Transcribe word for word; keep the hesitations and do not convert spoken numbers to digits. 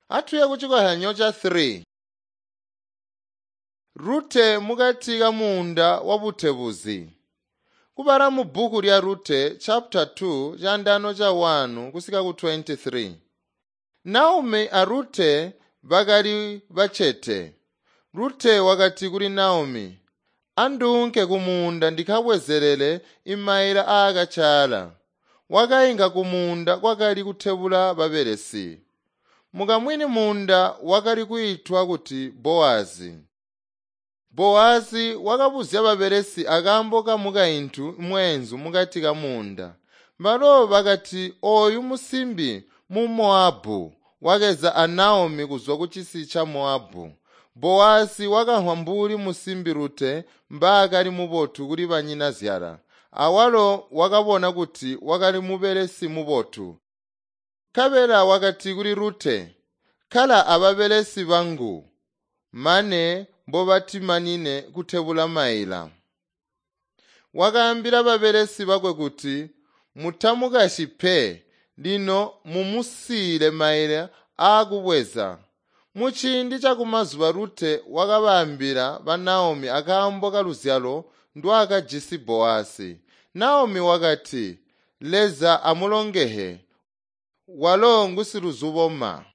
Atuye kucikozyanyo ca three. Rute mukati kamuunda wabutebuzi. Kubala mu bbuku lya Rute chapter two candano ca one kusika ku twenty-three. Naomi a Rute bakali bacete. Rute wakati kuli Naomi, "Anduunke kumuunda ndikabwezelele imaila aakacaala." Wakainka kumuunda kwakali kutebula babelesi. Mukamwini muunda wakali kwiitwa kuti Bowazi. Bowazi wakabuzya babelesi akaambo kamukaintu mweenzu mukati kamuunda. Balo bakati ooyu musimbi mu Mowabu wakeza a Naomi kuzwa kucisi ca Mowabu. Bowazi wakamvwa mbuli musimbi Rute mbaakali mubotu kuli banyinazyala. Awalo wakabona kuti wakali mubelesi mubotu. Nkabela wakati kuli Rute, "Kkala ababelesi bangu mane mbobatimanine kutebula maila." Wakaambila babelesi bakwe kuti, "Mutamukasyi pe, lino mumusiile maila aakubweza." Muciindi cakumazuba Rute wakabaambila ba Naomi akaambo kaluzyalo ndwaakajisi Bowazi. Naomi wakati, "Leza amulongehe, walo ngusiluzuboma."